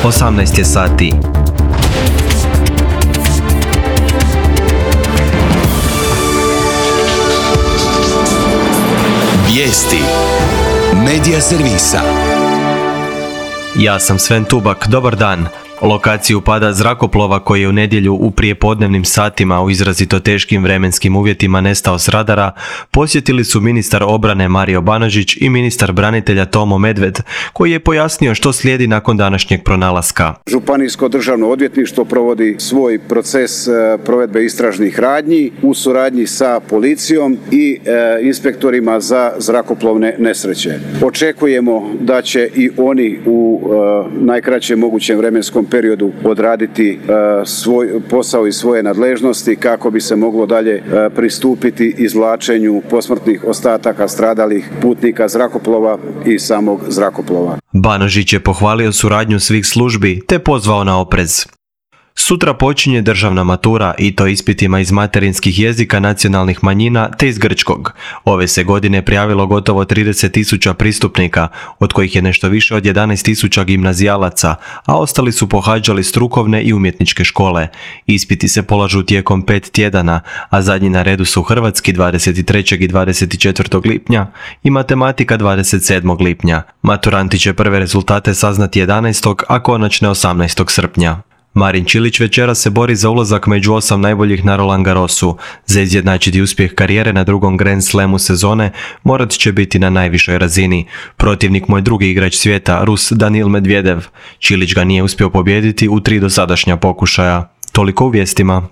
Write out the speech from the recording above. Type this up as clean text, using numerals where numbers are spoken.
18 je sati. Vijesti Medija servisa. Ja sam Sven Tubak, dobar dan. Lokaciju pada zrakoplova koji je u nedjelju u prijepodnevnim satima u izrazito teškim vremenskim uvjetima nestao s radara posjetili su ministar obrane Mario Banožić i ministar branitelja Tomo Medved, koji je pojasnio što slijedi nakon današnjeg pronalaska. Županijsko državno odvjetništvo provodi svoj proces provedbe istražnih radnji u suradnji sa policijom i inspektorima za zrakoplovne nesreće. Očekujemo da će i oni u najkraćem mogućem vremenskom periodu odraditi svoj posao i svoje nadležnosti kako bi se moglo dalje pristupiti izvlačenju posmrtnih ostataka stradalih putnika zrakoplova i samog zrakoplova. Banožić je pohvalio suradnju svih službi te pozvao na oprez. Sutra počinje državna matura i to ispitima iz materinskih jezika nacionalnih manjina te iz grčkog. Ove se godine prijavilo gotovo 30.000 pristupnika, od kojih je nešto više od 11.000 gimnazijalaca, a ostali su pohađali strukovne i umjetničke škole. Ispiti se polažu tijekom 5 tjedana, a zadnji na redu su hrvatski 23. i 24. lipnja i matematika 27. lipnja. Maturanti će prve rezultate saznati 11. a konačne 18. srpnja. Marin Čilić večera se bori za ulazak među 8 najboljih na Roland Garrosu. Za izjednačiti uspjeh karijere na drugom Grand Slamu sezone morat će biti na najvišoj razini. Protivnik mu je drugi igrač svijeta, Rus Danil Medvedev. Čilić ga nije uspio pobijediti u 3 dosadašnja pokušaja. Toliko u vijestima.